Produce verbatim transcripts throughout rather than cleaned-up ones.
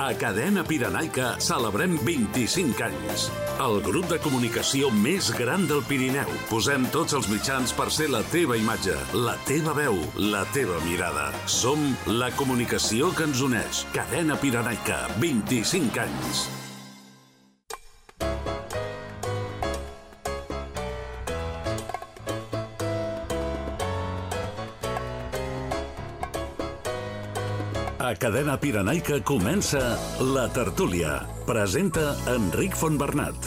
A Cadena Pirenaica celebrem vint-i-cinc anys. El grup de comunicació més gran del Pirineu. Posem tots els mitjans per ser la teva imatge, la teva veu, la teva mirada. Som la comunicació que ens uneix. Cadena Pirenaica, vint-i-cinc anys. A Cadena Pirenaica comença La Tertúlia. Presenta Enric Fontbernat.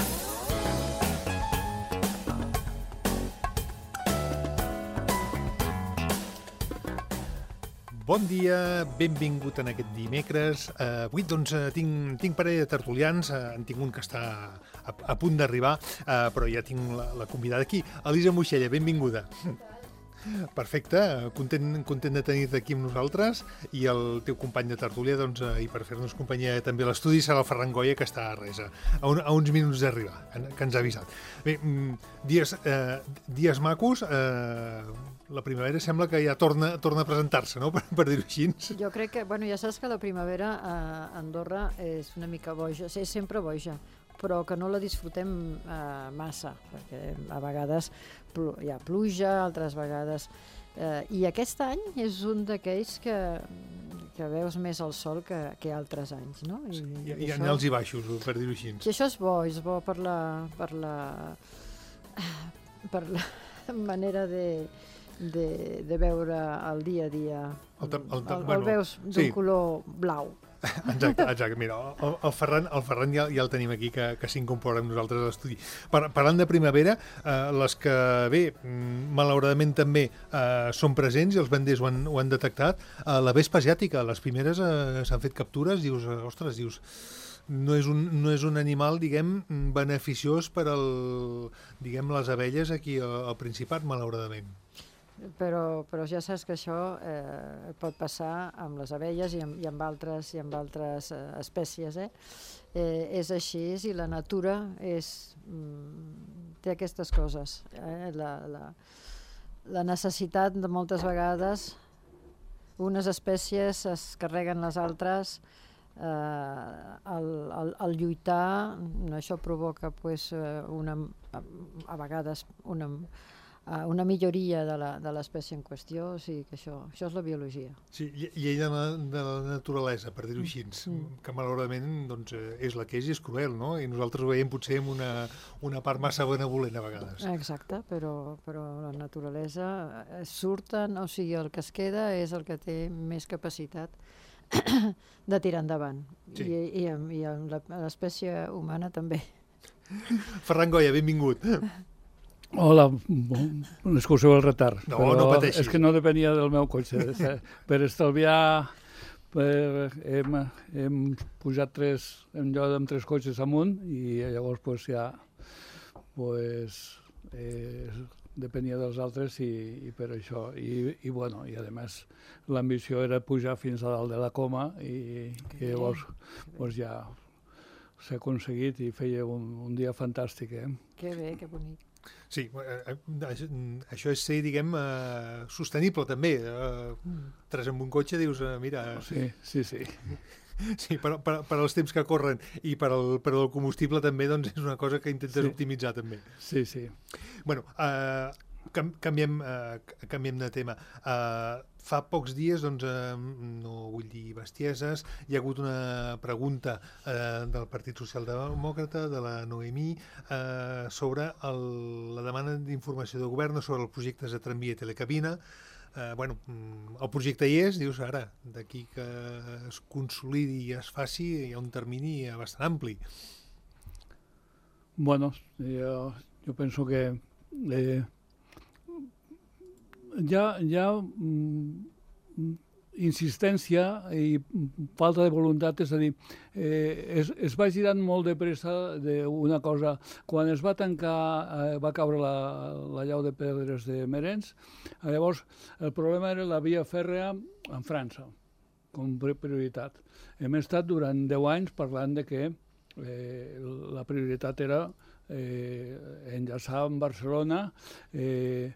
Bon dia, benvingut en aquest dimecres. Uh, avui doncs, tinc, tinc parell de tertulians, uh, en tinc un que està a, a punt d'arribar, uh, però ja tinc la, la convidada aquí. Elisa Moixella, benvinguda. Perfecte, content, content de tenir-te aquí amb nosaltres, i el teu company de tertúlia, doncs, i per fer-nos companyia també a l'estudi serà el Ferran Goya, que està a res, a, un, a uns minuts d'arribar, que ens ha avisat. Bé, dies, eh, dies macos, eh, la primavera sembla que ja torna, torna a presentar-se, no?, per, per dir-ho així. Jo crec que, bueno, ja saps que la primavera a Andorra és una mica boja, és sempre boja, però que no la disfrutem eh, massa, perquè a vegades pl- hi ha pluja, altres vegades... Eh, I aquest any és un d'aquells que, que veus més el sol que, que altres anys, no? I, sí, i hi ha això, alts i baixos, per dir-ho així. I això és bo, és bo per la, per la, per la manera de, de, de veure el dia a dia. El, el, el, el, bueno, el veus d'un sí. color blau. Exacte, exacte. Mira, el, el Ferran, el Ferran ja, ja el tenim aquí, que, que s'incorpora amb nosaltres a l'estudi. Par, parlant de primavera, eh, les que, bé, malauradament també eh, són presents i els venders ho han, ho han detectat, eh, la vespa asiàtica, les primeres eh, s'han fet captures, dius, ostres, dius, no és un, no és un animal, diguem, beneficiós per al, diguem, les abelles aquí al, al Principat, malauradament. Però, però ja saps que això eh, pot passar amb les abelles i amb, i amb altres, i amb altres eh, espècies. Eh? Eh, és així, i la natura és, mm, té aquestes coses. Eh? La, la, la necessitat de moltes vegades, unes espècies es carreguen les altres, eh, el, el, el lluitar, això provoca pues, una, a vegades una... una milloria de la, de l'espècie en qüestió, o sigui que això, això és la biologia. Sí, llei de la, de la naturalesa, per dir-ho així, mm. que malauradament doncs, és la que és i és cruel, no? I nosaltres ho veiem potser amb una, una part massa benevolent a vegades. Exacte, però, però la naturalesa surten, o sigui, el que es queda és el que té més capacitat de tirar endavant. Sí. I, i, i l'espècie humana també. Ferran Goya, benvingut. Hola, bon, excuseu el retard, no, però no pateixis. És que no depenia del meu cotxe. Per estalviar, per, hem, hem pujat tres, en lloc amb tres cotxes amunt, i llavors pues, ja pues, eh, depenia dels altres i, i per això. I, i, bueno, i a més, l'ambició era pujar fins a dalt de la coma i, i llavors pues, ja s'ha aconseguit i feia un, un dia fantàstic. Eh? Que bé, que bonic. Sí, això és ser, diguem, uh, sostenible també. Uh, tres amb un cotxe dius, uh, mira... Sí, sí, sí. Sí, per, per, per als temps que corren i per al, per al combustible també doncs, és una cosa que intentes sí. optimitzar també. Sí, sí. Bueno, uh, canviem, uh, canviem de tema. Uh, fa pocs dies, doncs, uh, no vull dir bestieses, hi ha hagut una pregunta uh, del Partit Socialdemòcrata, de la Noemí, uh, sobre el, la demanda d'informació de govern sobre els projectes de tramvia i telecabina. Uh, bueno, el projecte hi és, dius, ara, d'aquí que es consolidi i es faci, hi ha un termini bastant ampli. Bueno, jo, jo penso que eh, hi ha, hi ha mm, insistència i falta de voluntat, és a dir, eh, es, es va girant molt de pressa d'una cosa. Quan es va tancar, eh, va caure la, la llau de pedres de Merens, llavors el problema era la via fèrrea en França, com prioritat. Hem estat durant deu anys parlant de que eh, la prioritat era eh, enllaçar amb Barcelona, eh,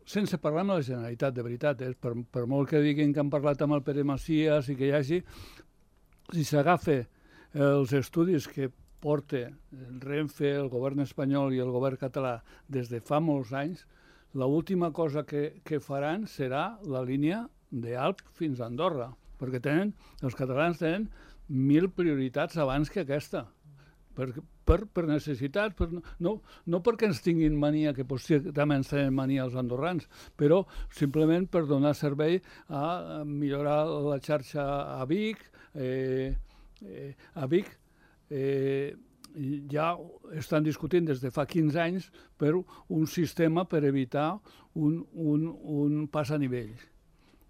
sense parlar amb la Generalitat, de veritat, eh? per, per molt que diguin que han parlat amb el Pere Macias i que hi hagi, si s'agafa els estudis que porta Renfe, el govern espanyol i el govern català des de fa molts anys, l'última cosa que, que faran serà la línia d'Alp fins a Andorra, perquè tenen, els catalans tenen mil prioritats abans que aquesta, per, per, per necessitat, per, no, no perquè ens tinguin mania, que potser també ens tenen mania els andorrans, però simplement per donar servei a millorar la xarxa a Vic. Eh, eh, a Vic eh, ja estan discutint des de fa quinze anys per un sistema per evitar un, un, un pas a nivell.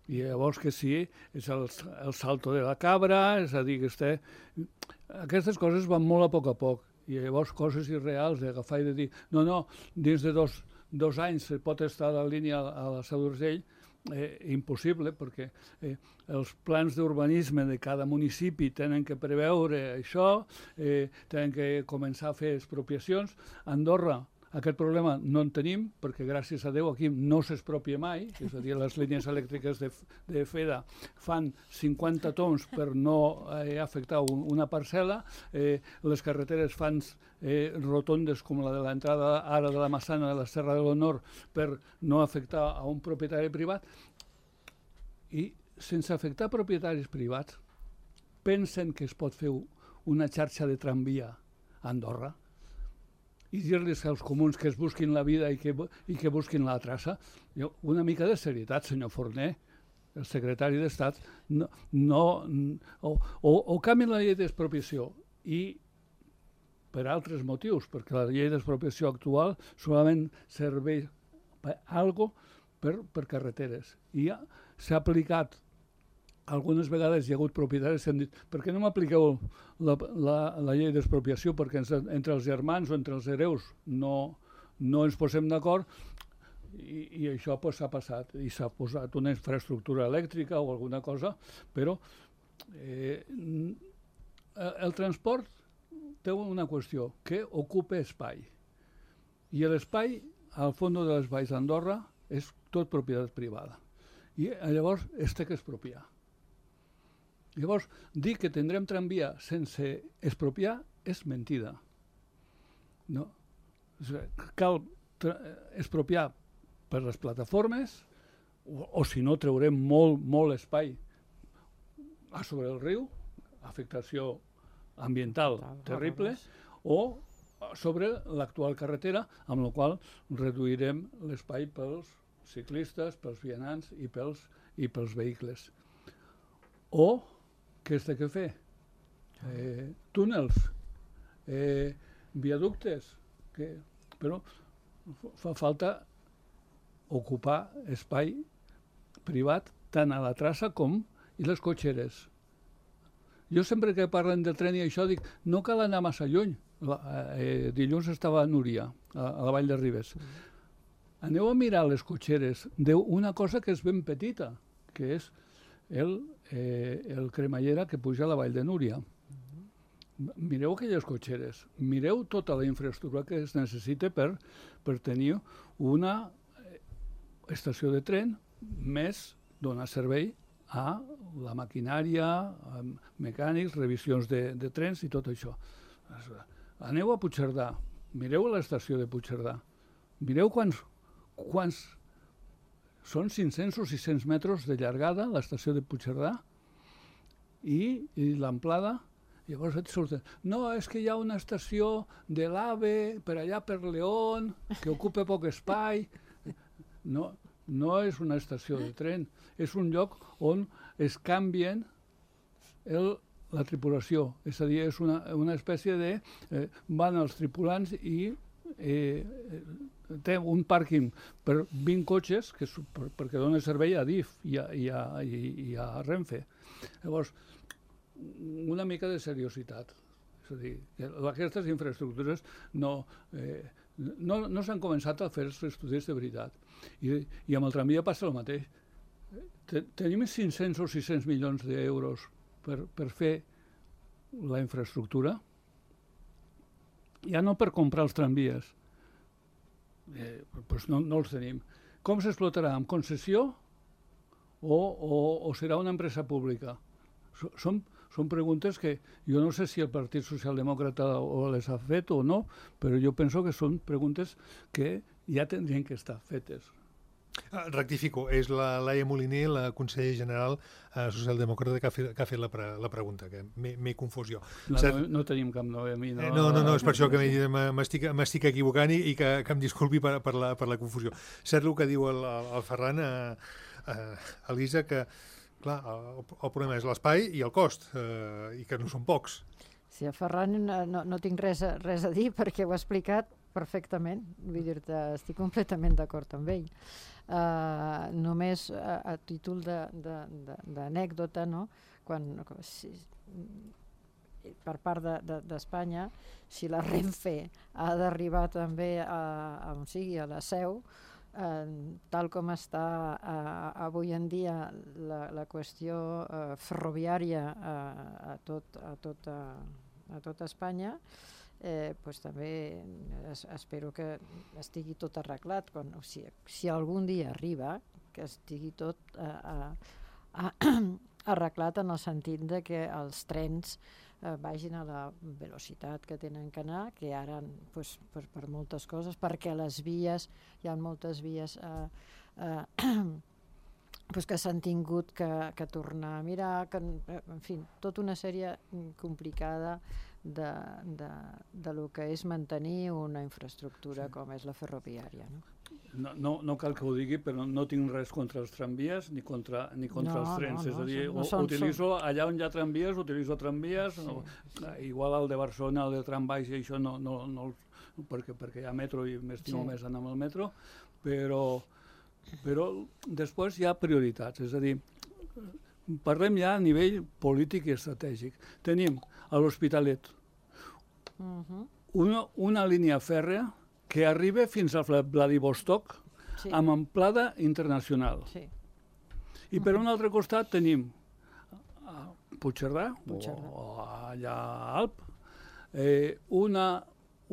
I llavors que sí, és el, el salto de la cabra, és a dir, que este... aquestes coses van molt a poc a poc. I llavors coses irreals d'agafar i de dir no, no, dins de dos, dos anys pot estar la línia a la Seu d'Urgell, eh, impossible, perquè eh, els plans d'urbanisme de cada municipi tenen que preveure això, eh, tenen que començar a fer expropiacions. Andorra, aquest problema no en tenim, perquè gràcies a Déu aquí no s'expropia mai, és a dir, les línies elèctriques de, de FEDA fan cinquanta tons per no eh, afectar un, una parcel·la, eh, les carreteres fan eh, rotondes com la de l'entrada ara de la Massana de la Serra de l'Honor per no afectar a un propietari privat, i sense afectar propietaris privats pensen que es pot fer una xarxa de tramvia a Andorra i dir-los als comuns que es busquin la vida i que, i que busquin la traça. Jo, una mica de serietat, senyor Forner, el secretari d'Estat, no, no, o, o, o canvien la llei d'expropiació i per altres motius, perquè la llei d'expropiació actual solament serveix per algo per, per carreteres. I ja s'ha aplicat. Algunes vegades hi ha hagut propietaris que han dit per què no m'apliqueu la, la, la llei d'expropiació, perquè ens, entre els germans o entre els hereus no, no ens posem d'acord, i, i això pues, s'ha passat, i s'ha posat una infraestructura elèctrica o alguna cosa, però eh, el transport té una qüestió, que ocupa espai. I l'espai, al fons de les valls d'Andorra, és tot propietat privada. I llavors es té que expropiar. Llavors, dir que tindrem tramvia sense expropiar és mentida. No? Cal expropiar per les plataformes, o, o si no traurem molt, molt espai a sobre el riu, afectació ambiental terrible, o sobre l'actual carretera, amb la qual reduirem l'espai pels ciclistes, pels vianants i pels, i pels vehicles. O què es té que fer? Eh, túnels, eh, viaductes, que, però fa falta ocupar espai privat tant a la traça com i les cotxeres. Jo sempre que parlen del tren i això dic, no cal anar massa lluny. La, eh, dilluns estava a Núria, a, a la Vall de Ribes. Aneu a mirar les cotxeres d'una cosa que és ben petita, que és el, eh, el cremallera que puja a la Vall de Núria. Mireu aquelles cotxeres, mireu tota la infraestructura que es necessita per, per tenir una estació de tren més donar servei a la maquinària, a mecànics, revisions de, de trens i tot això. Aneu a Puigcerdà, mireu l'estació de Puigcerdà, mireu quants, quants són cinc-cents o sis-cents metres de llargada l'estació de Puigcerdà i, i l'amplada. Llavors et surten, no, és que hi ha una estació de l'AVE per allà per León, que ocupa poc espai. No, no és una estació de tren, és un lloc on es canvien el, la tripulació. És a dir, és una, una espècie de... Eh, van els tripulants i eh, té un pàrquing per vint cotxes que, per, perquè dona servei a D I F i a, i a, i, i a Renfe. Llavors, una mica de seriositat. És a dir, que aquestes infraestructures no, eh, no, no s'han començat a fer els estudis de veritat. I, i amb el tramvia passa el mateix. Tenim cinc-cents o sis-cents milions d'euros per, per fer la infraestructura, ja no per comprar els tramvies, eh, doncs no, no els tenim. Com s'explotarà? Amb concessió o, o, o serà una empresa pública? Són, són preguntes que jo no sé si el Partit Socialdemòcrata les ha fet o no, però jo penso que són preguntes que ja tindrien que estar fetes. Ah, rectifico, és la Laia Moliner, la consellera general eh, socialdemòcrata, que ha fet, que ha fet la, pre, la pregunta, que m'he confós jo. No, no, no tenim cap Noemi. No, no, no, no, és per això que m'estic equivocant i, i que, que em disculpi per, per, la, per la confusió. Cert el que diu el, el Ferran, eh, eh, Elisa, que clar, el, el problema és l'espai i el cost, eh, i que no són pocs. Sí, a Ferran no, no tinc res a, res a dir perquè ho ha explicat perfectament, vull dir-te, estic completament d'acord amb ell. Uh, només a, a títol d'anècdota, no? Quan, si, per part d'Espanya, de, de, si la Renfe ha d'arribar també a, a on sigui, a la Seu, uh, tal com està uh, avui en dia la, la qüestió uh, ferroviària uh, a, tot, a, tot, uh, a tot Espanya, Eh, pues també es, espero que estigui tot arreglat. Quan, o sigui, si algun dia arriba, que estigui tot eh, eh, arreglat en el sentit de que els trens eh, vagin a la velocitat que tenen que anar, que ara pues, per, per moltes coses, perquè les vies, hi ha moltes vies eh, eh, pues que s'han tingut que, que tornar a mirar, que, en fi, tota una sèrie complicada de, de, de lo que és mantenir una infraestructura sí. com és la ferroviària. No? No, no, no cal que ho digui, però no tinc res contra els tramvies ni contra, ni contra no, els trens. No, no, és a dir, no són, utilitzo són... allà on hi ha tramvies, utilitzo tramvies, sí, no, sí. Igual el de Barcelona, el de trambaix i això no, no, no perquè, perquè hi ha metro i m'estimo sí. més anar amb el metro, però, però després hi ha prioritats, és a dir, parlem ja a nivell polític i estratègic. Tenim a l'Hospitalet uh-huh. una, una línia fèrrea que arriba fins a Vladivostok sí. amb amplada internacional. Sí. I per uh-huh. un altre costat tenim a Puigcerdà, Puigcerdà. O, o allà a Alp, eh, una,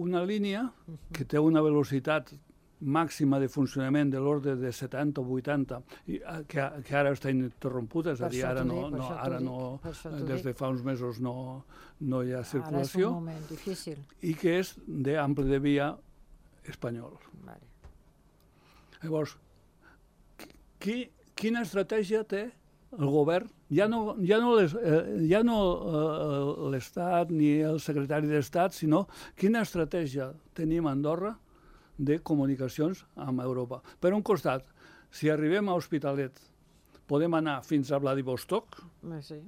una línia uh-huh. que té una velocitat màxima de funcionament de l'ordre de setanta o vuitanta, i, que, que ara està interrompuda, és a dir, ara no, no, ara no des de fa uns mesos no, no hi ha circulació. Ara és un moment difícil. I que és d'ample de via espanyol. Vale. Llavors, qui, quina estratègia té el govern? Ja no, ja no, les, eh, ja no eh, l'Estat ni el secretari d'Estat, sinó quina estratègia tenim a Andorra de comunicacions amb Europa. Per un costat, si arribem a Hospitalet, podem anar fins a Vladivostok, sí.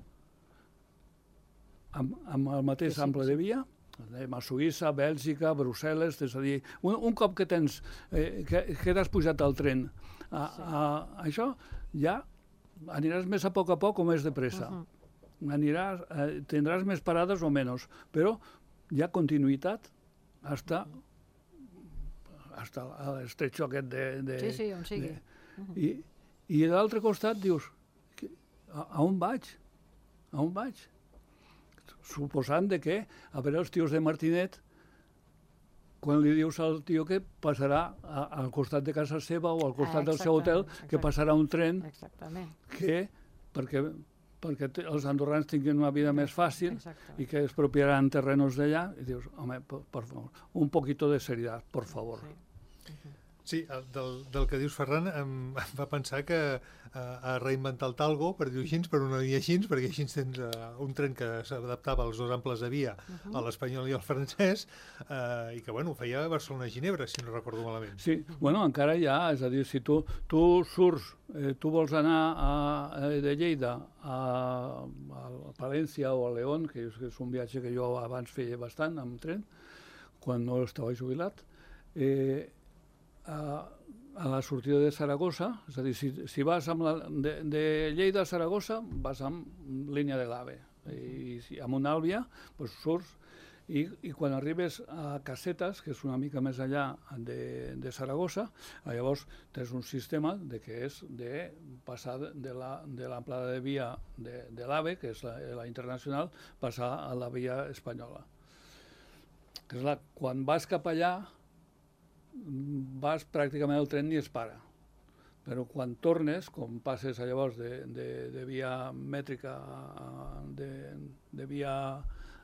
amb, amb el mateix sí, sí, ample sí. de via, anem a Suïssa, Bèlgica, Brussel·les, és a dir, un, un cop que tens, eh, que, que t'has pujat al tren, a, sí. a, a això ja aniràs més a poc a poc o més de pressa. Uh-huh. Aniràs, eh, tindràs més parades o menys, però hi ha continuïtat hasta... Uh-huh. hasta l'estretxo aquest de... de sí, sí, on sigui. De, uh-huh. I i d'altre costat dius, a, a on vaig? A on vaig? Suposant de que, a veure, els tios de Martinet, quan li dius al tio que passarà a, al costat de casa seva o al costat ah, del seu hotel, exactament. Que passarà un tren exactament. que, perquè, perquè els andorrans tinguin una vida més fàcil exactament. I que expropiaran terrenos d'allà, i dius, home, per, per favor, un poquito de seriedad, por favor. Sí. Uh-huh. Sí, del, del que dius, Ferran, em, em va pensar que eh, a reinventar el talgo, per dir-ho així, per una línia així, perquè així tens eh, un tren que s'adaptava als dos amples de via, uh-huh. a l'espanyol i al francès, eh, i que, bueno, ho feia a Barcelona-Ginebra, si no recordo malament. Sí, bueno, encara hi ha, és a dir, si tu, tu surts, eh, tu vols anar a, a, de Lleida a, a Palència o a León, que és un viatge que jo abans feia bastant amb tren, quan no estava jubilat, eh, A, a la sortida de Saragossa, és a dir, si, si vas amb la, de, de Lleida a Saragossa, vas amb línia de l'AVE, i si, amb una àlvia, doncs surts, i, i quan arribes a Casetes, que és una mica més allà de, de Saragossa, llavors tens un sistema de que és de passar de la, de l'amplada de via de, de l'AVE, que és la, la internacional, passar a la via espanyola. És la, quan vas cap allà, vas pràcticament el tren ni es para, però quan tornes, com passes llavors de, de, de via mètrica a, de, de via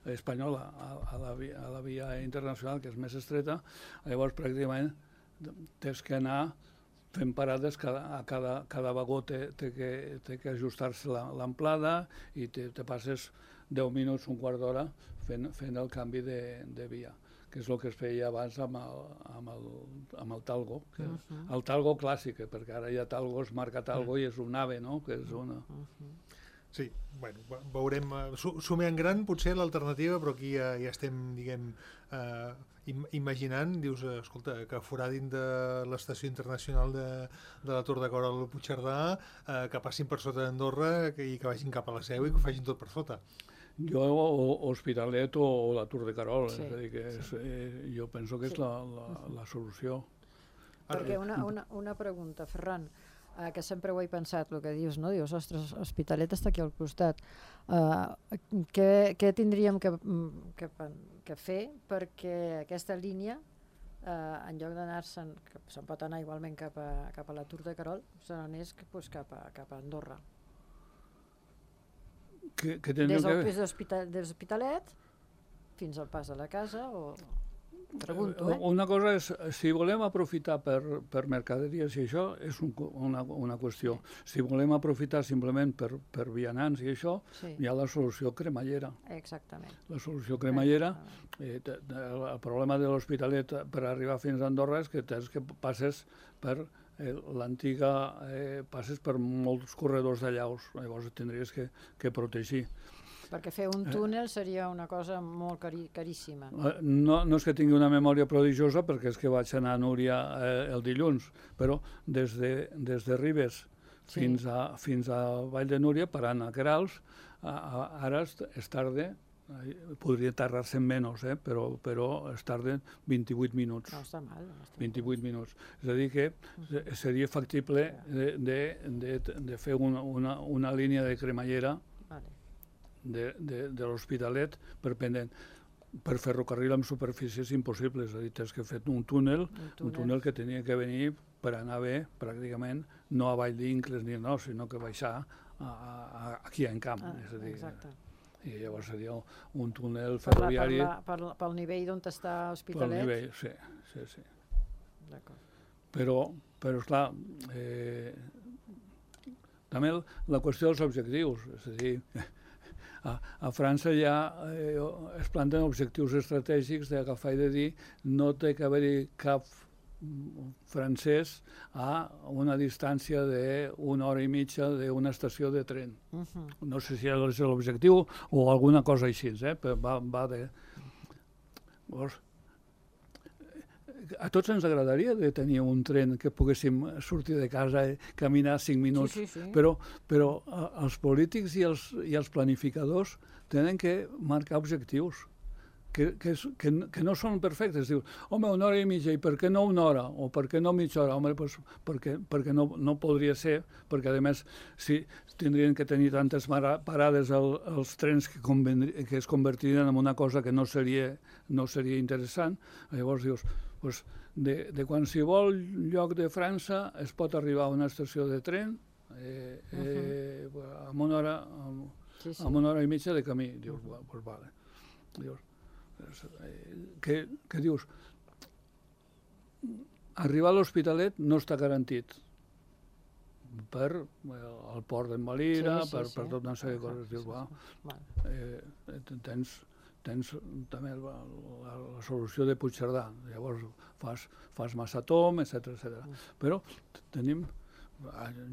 espanyola a, a, la via, a la via internacional, que és més estreta, llavors pràcticament tens que anar fent parades, cada, a cada, cada vagó té, té que, té que ajustar-se l'amplada i te, te passes deu minuts, un quart d'hora fent, fent el canvi de, de via, que és el que es feia abans amb el, amb el, amb el talgo, que, uh -huh. el talgo clàssic, perquè ara hi ha talgos, marca talgo, uh -huh. i és un ave, no?, que és una... Uh -huh. Sí, bueno, veurem, sumé en gran potser l'alternativa, però aquí ja, ja estem, diguem, eh, imaginant, dius, escolta, que foradin de l'estació internacional de, de la Tour de Carol al Puigcerdà, eh, que passin per sota d'Andorra i que vagin cap a la Seu i que ho facin tot per sota. Jo, o Hospitalet o, o la Tour de Carol, sí, és a dir, que és, sí. eh, jo penso que és sí. la, la, la solució. Perquè una, una, una pregunta, Ferran, Uh, que sempre ho he pensat, el que dius, no? Dius, ostres, Hospitalet està aquí al costat. Uh, què, què tindríem que, que, que fer perquè aquesta línia, uh, en lloc d'anar-se'n, que se'n pot anar igualment cap a, cap a la Tour de Carol, se n'anés pues, cap, a, cap a Andorra? Que, que des del que... pis d'Hospitalet fins al pas de la casa o... Pregunto, eh? Una cosa és, si volem aprofitar per, per mercaderies i això, és un, una, una qüestió. Si volem aprofitar simplement per, per vianants i això, sí. hi ha la solució cremallera. Exactament. La solució cremallera, eh, el problema de l'Hospitalet per arribar fins a Andorra és que tens que passes per eh, l'antiga, eh, passes per molts corredors de llaus, llavors tindries que, que protegir. Perquè fer un túnel seria una cosa molt cari caríssima. No, no és que tingui una memòria prodigiosa, perquè és que vaig anar a Núria eh, el dilluns, però des de, des de Ribes sí. fins, a, fins a Vall de Núria, parant a Querals, a, a, ara es, es tarda, podria tardar-se menys, eh, però, però es tarda vint-i-vuit minuts. No està mal. No està vint-i-vuit minuts. És a dir, que seria factible de, de, de, de fer una, una, una línia de cremallera vale. de, de, de l'Hospitalet per pendent. Per ferrocarril amb superfícies impossibles, és a dir, tens que fer un túnel, un túnel, un túnel que tenia que venir per anar bé, pràcticament, no a Vall d'Incles ni no, sinó que baixar a, a, aquí en camp. Ah, és a dir, exacte. I llavors seria un túnel ferroviari... Per la, per la, pel nivell d'on està Hospitalet? Pel nivell, sí, sí, sí. D'acord. Però, però esclar, eh, també la qüestió dels objectius, és a dir, a, a França ja eh, es planten objectius estratègics d'agafar i de dir no té que haver-hi cap francès a una distància d'una hora i mitja d'una estació de tren. Uh-huh. No sé si és l'objectiu o alguna cosa així, eh? Però va, va de... Llavors, a tots ens agradaria de tenir un tren que poguéssim sortir de casa i caminar cinc minuts, sí, sí, sí. però, però els polítics i els, i els planificadors tenen que marcar objectius que, que, que, que no són perfectes. Dius, home, una hora i mitja, i per què no una hora? O per què no mitja hora? Home, doncs perquè, perquè no, no podria ser, perquè a més si tindrien que tenir tantes parades el, els trens que, que es convertirien en una cosa que no seria, no seria interessant. Llavors dius, doncs, de, de qualsevol lloc de França es pot arribar a una estació de tren eh, eh, uh-huh. amb, una hora, amb, sí, sí. amb una hora i mitja de camí. Dius, uh-huh. doncs vale. Dius, que, que dius, arribar a l'Hospitalet no està garantit per el port d'en Valira, sí, sí, per, sí. per tot una sèrie de coses. Dius, va, eh, tens... tens també la, la, la solució de Puigcerdà, llavors fas, fas Massatom, etcètera, etcètera. Però tenim...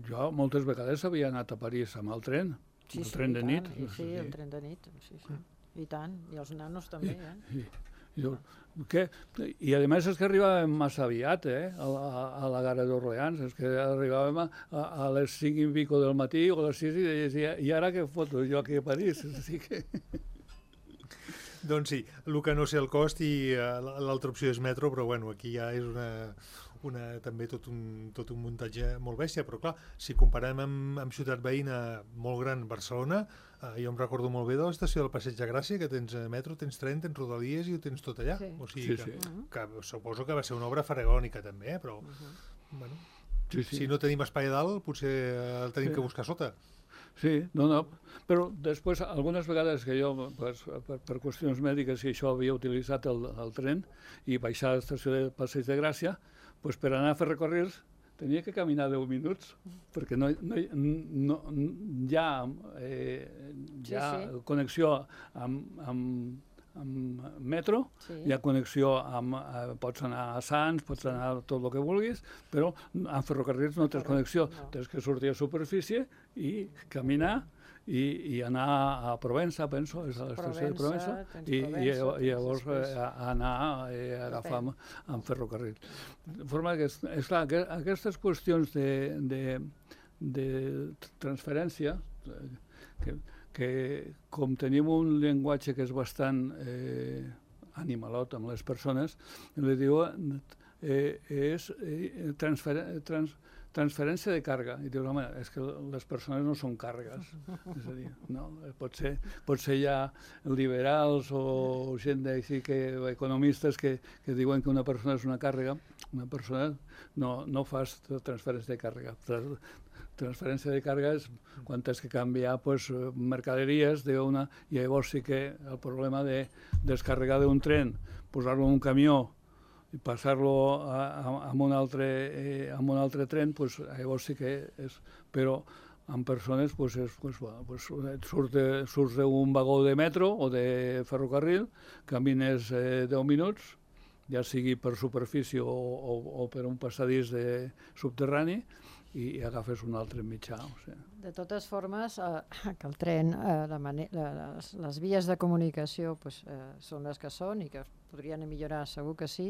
Jo moltes vegades havia anat a París amb el tren, sí, el sí, tren de nit. Sí, sí, el tren de nit, sí, sí. I tant, i els nanos també, eh? I, i, i, que, i a més és que arribàvem massa aviat, eh, a la, a la gara d'Orleans, és que arribàvem a, a, a les cinc i pico del matí o a les sis i deies, i, i ara què foto jo aquí a París? Així que... Doncs sí, el que no sé el cost i uh, l'altra opció és metro, però bueno, aquí ja és una, una, també tot un, tot un muntatge molt bèstia, però clar, si comparem amb, amb ciutat veïna molt gran, Barcelona, uh, jo em recordo molt bé de l'estació del Passeig de Gràcia, que tens metro, tens tren, tens rodalies i ho tens tot allà. Sí. O sigui sí, que, sí. que suposo que va ser una obra faraònica també, eh? Però, uh-huh. bueno... Sí, sí. Si no tenim espai a dalt, potser el tenim Sí. que buscar sota. Sí, no, no. Però després, algunes vegades que jo, pues, per, per qüestions mèdiques, i això havia utilitzat el, el tren i baixar a l'estació de Passeig de Gràcia, pues, per anar a fer recorreguts tenia que caminar deu minuts, perquè no, no, no, hi ha, eh, hi ha Sí, sí. connexió amb, amb, amb metro, Sí. hi ha connexió amb... Eh, pots anar a Sants, pots anar a tot el que vulguis, però amb ferrocarrils no tens Correcte, connexió. no. Tens que sortir a superfície i caminar i, i anar a Provença, penso, és a l'estació de Provença, Provença, tens i, Provença, i, i tens llavors després- eh, a, a anar eh, a agafar amb, amb ferrocarril. De forma que, és, és clar, que aquestes qüestions de, de, de transferència, eh, que, que com tenim un llenguatge que és bastant eh, animalot amb les persones, li diu eh, és eh, transfer, trans, transferència de càrrega. I dius, home, és que les persones no són càrregues. És a dir, no, pot ser, pot ser ja liberals o gent d'així que, economistes que, que diuen que una persona és una càrrega. Una persona no, no fas transferència de càrrega. Transferència de càrrega és quan has que canviar pues, mercaderies d'una, i llavors sí que el problema de descarregar d'un tren, posar-lo en un camió i passar-lo a, a, a, un altre, eh, a un altre tren, pues, llavors sí que és... Però amb persones pues, és, pues, bueno, pues, surts, de, surts d'un vagó de metro o de ferrocarril, camines eh, deu minuts, ja sigui per superfície o, o, o per un passadís de subterrani, i agafes un altre mitjà. O sigui. De totes formes, eh, que el tren, eh, la mane la, les, les vies de comunicació pues, eh, són les que són i que es podrien millorar, segur que sí,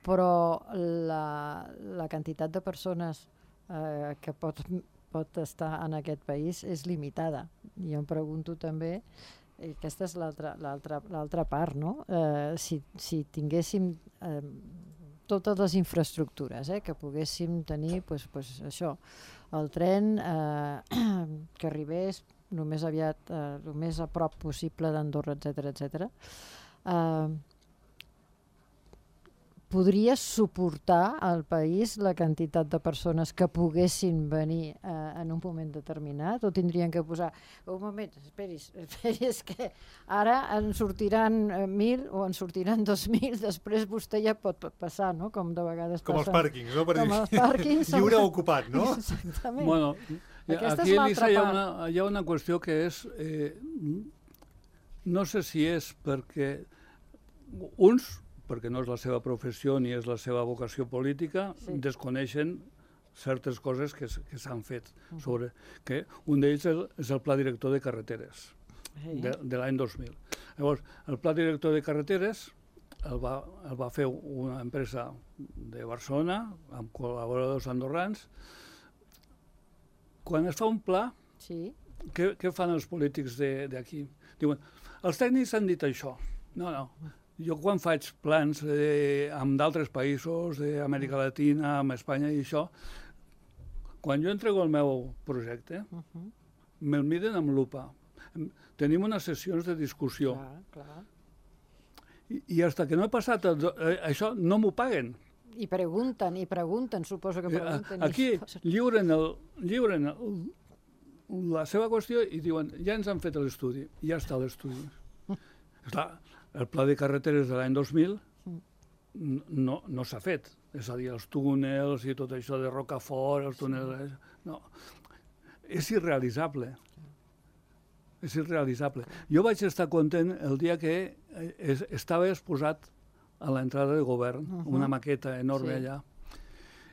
però la, la quantitat de persones eh, que pot, pot estar en aquest país és limitada. I jo em pregunto també, i aquesta és l'altra part, no? Eh, si, si tinguéssim... Eh, totes les infraestructures, eh, que poguéssim tenir pues, pues, això, el tren eh, que arribés el més aviat, eh, el més a prop possible d'Andorra, etcètera, etcètera. Eh, podria suportar al país la quantitat de persones que poguessin venir eh, en un moment determinat, o tindrien que posar un moment, esperis, esperis que ara en sortiran mil o en sortiran dos mil, després vostè ja pot passar, no? Com de vegades com passa. Els pàrquings, no? Per Com dir, els pàrquings. lliure ocupat, no? Exactament. Bueno, Aquesta aquí, és Elisa, hi ha l'altra una, hi ha una qüestió que és... Eh, no sé si és perquè uns, perquè no és la seva professió ni és la seva vocació política, Sí. desconeixen certes coses que, s- que s'han fet. Sobre, que un d'ells és, és el Pla Director de Carreteres, Sí. de, de l'any dos mil. Llavors, el Pla Director de Carreteres el va, el va fer una empresa de Barcelona, amb col·laboradors andorrans. Quan es fa un pla, Sí. què, què fan els polítics d'aquí? Diuen, els tècnics han dit això. No, no. Jo quan faig plans eh, amb d'altres països, d'Amèrica Latina, amb Espanya i això, quan jo entrego el meu projecte, Uh -huh. me'l miden amb lupa. Em- Tenim unes sessions de discussió. Clar, clar. I, i fins que no he passat el, do- eh, això, no m'ho paguen. I pregunten, i pregunten, suposo que Eh, pregunten. Aquí i posen- lliuren, el, lliuren el, la seva qüestió i diuen, ja ens han fet l'estudi, ja està l'estudi. Clar, el pla de carreteres de l'any dos mil n- no, no s'ha fet. És a dir, els túnels i tot això de Rocafort, els túnels... No. És irrealitzable. És irrealitzable. Jo vaig estar content el dia que eh, es, estava exposat a l'entrada de govern, uh -huh. una maqueta enorme Sí. allà.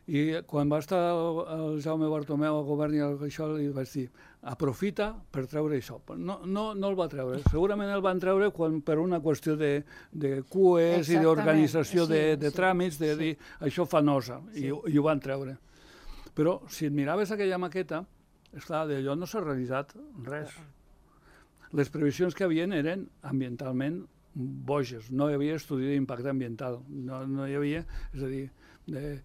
I quan va estar el, el Jaume Bartomeu al govern i el, això li vaig dir, aprofita per treure això. Però no, no, no el va treure. Segurament el van treure quan, per una qüestió de, de Q Es i Exactament. d'organització de, Sí, de sí, tràmits, de sí. dir això fa nosa, Sí. i, ho- i ho van treure. Però si et miraves aquella maqueta, esclar, d'allò no s'ha realitzat res. Les previsions que havien eren ambientalment boges, no hi havia estudi d'impacte ambiental, no, no hi havia, és a dir, de,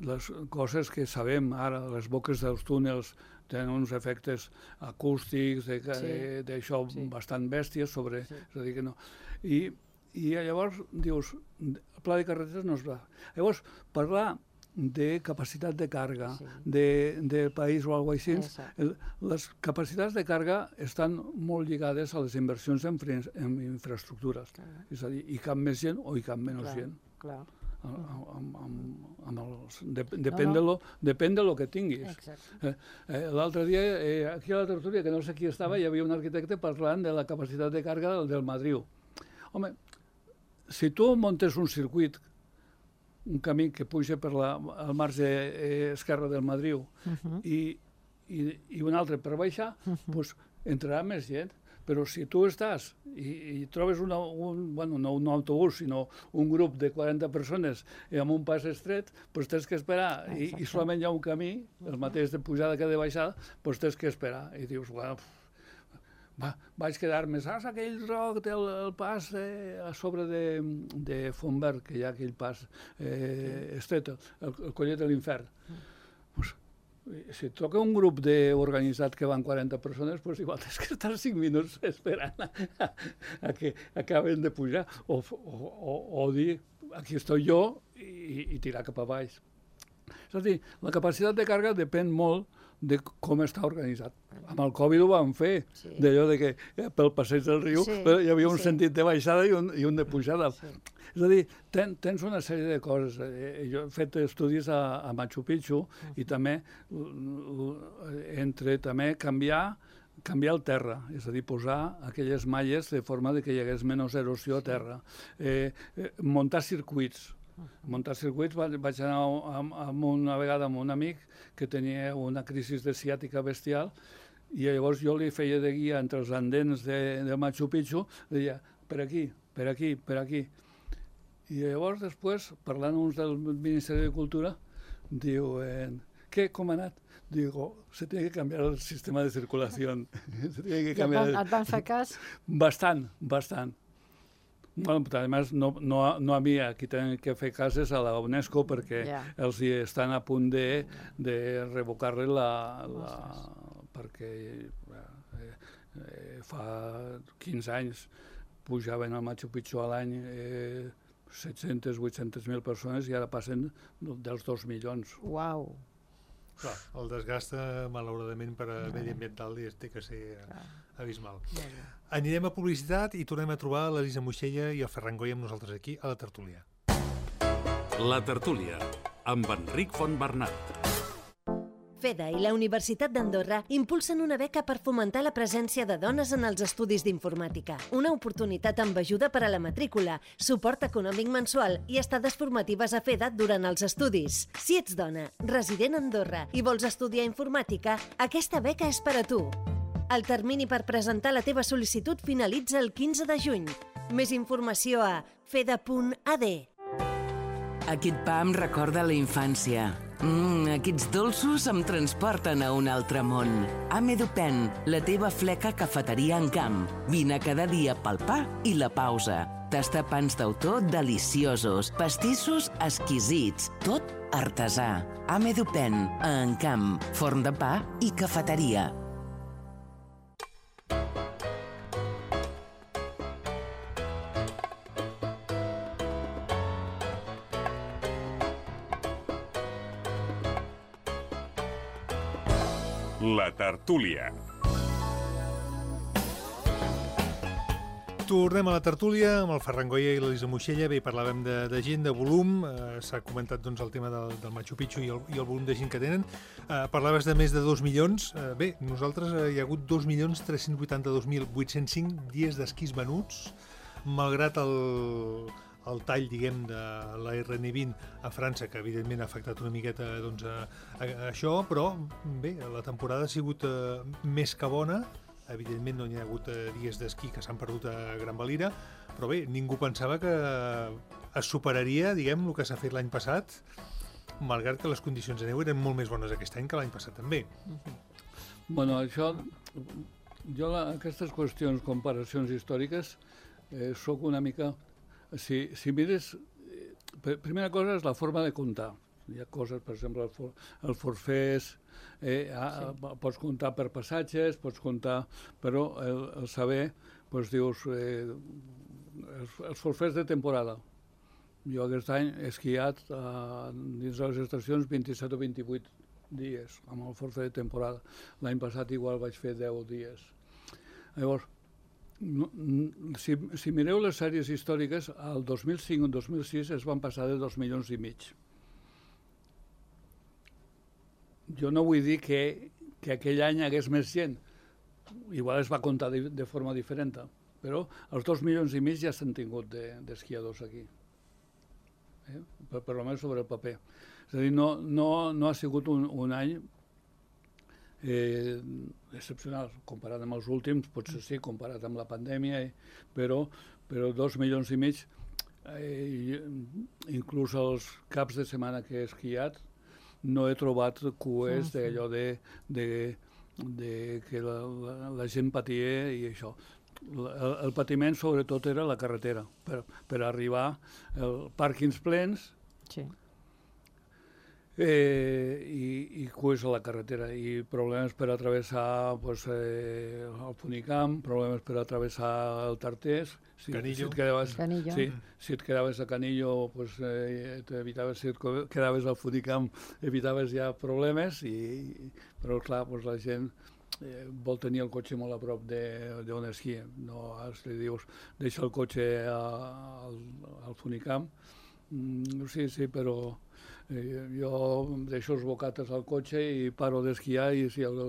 les coses que sabem ara, les boques dels túnels tenen uns efectes acústics, d'això Sí. sí. bastant bèsties sobre... Sí. És a dir, que no. I, I llavors dius, el pla de carreteres no es va. Llavors, parlar de capacitat de càrrega Sí. de, del país o alguna cosa així. Exacte. El- Les capacitats de càrrega estan molt lligades a les inversions en, fre- en infraestructures. Clar. És a dir, hi cap més gent o hi cap menys Clar, gent. clar. Amb, amb, amb, amb els, de, depèn, no. de lo, depèn de lo que tinguis. Exacte. Eh, eh, L'altre dia, eh, aquí a la tertúlia, que no sé qui estava, hi havia un arquitecte parlant de la capacitat de càrrega del, del Madriu. Home, si tu muntes un circuit, un camí que puja per la, al marge eh, esquerre del Madriu Uh-huh. i, i, i un altre per baixar, pues, entrarà més gent. Però si tu estàs i, i trobes una, un, bueno, no un autobús, sinó un grup de quaranta persones amb un pas estret, doncs tens que esperar. I, i solament hi ha un camí, el mateix de pujada que de baixada, doncs tens que esperar. I dius, bueno, va, vaig quedar-me, saps aquell roc del el pas eh, a sobre de, de Fontverd, que hi ha aquell pas eh, estret, el, el collet de l'Infern. Pues, si et toca un grup de organitzat que van quaranta persones, pues igual tens que estar cinc minuts esperant a, a, a que acaben de pujar o, o, o, o dir aquí estoy jo i, i tirar cap a baix. És a dir, la capacitat de càrrega depèn molt de com està organitzat. Amb el Covid ho vam fer, Sí. d'allò de que eh, pel passeig del riu Sí, eh, hi havia un sí. sentit de baixada i un, i un de pujada. Sí. És a dir, ten, tens una sèrie de coses. Eh, jo he fet estudis a, a Machu Picchu uh-huh. i també uh, entre també canviar canviar el terra, és a dir, posar aquelles malles de forma de que hi hagués menys erosió a terra. Eh, eh, muntar circuits. Muntar circuits, va- vaig anar amb, amb una vegada amb un amic que tenia una crisi de ciàtica bestial i llavors jo li feia de guia entre els andens de, de Machu Picchu, deia, per aquí, per aquí, per aquí. I llavors després, parlant uns del Ministeri de Cultura, diu, eh, què, com ha anat? Digo, se tiene que cambiar el sistema de circulación. Se tiene que I et cambiar... van, et van fer cas? Bastant, bastant. Bueno, además, no, no, a- no a mi, aquí tenen que fer cases a la UNESCO perquè Ja. els hi estan a punt de, de revocar-li la, la... perquè eh, eh, fa quinze anys pujaven al Machu Picchu a l'any eh, set-centes, vuit-centes mil persones i ara passen dels dos milions. Uau. Clar, el desgast, eh, malauradament, per a mediambiental és- té que ser eh, abismal. Molt bé. Anirem a publicitat i tornem a trobar l'Elisa Moixella i el Ferran Goy amb nosaltres aquí a la tertúlia. La tertúlia, amb Enric Fontbernat. FEDA i la Universitat d'Andorra impulsen una beca per fomentar la presència de dones en els estudis d'informàtica. Una oportunitat amb ajuda per a la matrícula, suport econòmic mensual i estades formatives a FEDA durant els estudis. Si ets dona, resident a Andorra i vols estudiar informàtica, aquesta beca és per a tu. El termini per presentar la teva sol·licitud finalitza el quinze de juny. Més informació a feda punt a d. Aquest pa em recorda la infància. Mmm, aquests dolços em transporten a un altre món. Amedupen, la teva fleca cafeteria en camp. Vine cada dia pel pa i la pausa. Tastar pans d'autor deliciosos, pastissos exquisits, tot artesà. Amedupen, a Encamp, forn de pa i cafeteria. La tertúlia. Tornem a la tertúlia amb el Ferran Goya i l'Elisa Moixella. Bé, parlàvem de, de gent, de volum. Eh, S'ha comentat doncs, el tema del, del Machu Picchu i el, i el volum de gent que tenen. Eh, parlaves de més de dos milions. Eh, bé, nosaltres eh, hi ha hagut dos milions tres-cents vuitanta-dos mil vuit-cents cinc dies d'esquís venuts, malgrat el, el tall, diguem, de la erre ene vint a França, que evidentment ha afectat una miqueta doncs, a, a, a això, però bé, la temporada ha sigut eh, més que bona. Evidentment no hi ha hagut eh, dies d'esquí que s'han perdut a Gran Valira, però bé, ningú pensava que es superaria, diguem, el que s'ha fet l'any passat, malgrat que les condicions de neu eren molt més bones aquest any que l'any passat també. Bueno, això, jo la, aquestes qüestions, comparacions històriques, eh, soc una mica... Si, si mires, eh, primera cosa és la forma de comptar. Hi ha coses, per exemple, el, for, el forfès, eh, a, sí. pots comptar per passatges, pots comptar, però el, el saber, doncs dius, eh, els, els forfès de temporada. Jo aquest any he esquiat uh, dins de les estacions vint-i-set o vint-i-vuit dies, amb el forfait de temporada. L'any passat igual vaig fer deu dies. Llavors, no, si, si mireu les sèries històriques, el dos mil cinc o dos mil sis es van passar de dos milions i mig. Jo no vull dir que, que aquell any hi hagués més gent, igual es va comptar de, de forma diferent, però els dos milions i mig ja s'han tingut d'esquiadors de, aquí. Eh? Per, per almenys sobre el paper. És a dir, no, no, no ha sigut un, un any eh, excepcional, comparat amb els últims, potser sí, comparat amb la pandèmia, eh, però, però dos milions i mig, eh, inclús els caps de setmana que he esquiat, no he trobat cues d'allò de, de, de que la, la, la gent patia i això. El, el patiment sobretot era la carretera, per, per arribar als pàrquings plens sí. eh, i, i cues a la carretera, i problemes per atravessar pues, eh, el Funicamp, problemes per atravessar el Tartés. Si, Canillo. Si et quedaves, Canillo. Sí, si et quedaves a Canillo, pues, eh, t'evitaves, si et quedaves al Funicamp, evitaves ja problemes, i, però clar, pues, la gent Eh, vol tenir el cotxe molt a prop d'on esquia. No, li dius, deixa el cotxe a, al, al Funicamp. Mm, sí, sí, però eh, jo deixo els bocates al cotxe i paro d'esquiar, i si, el,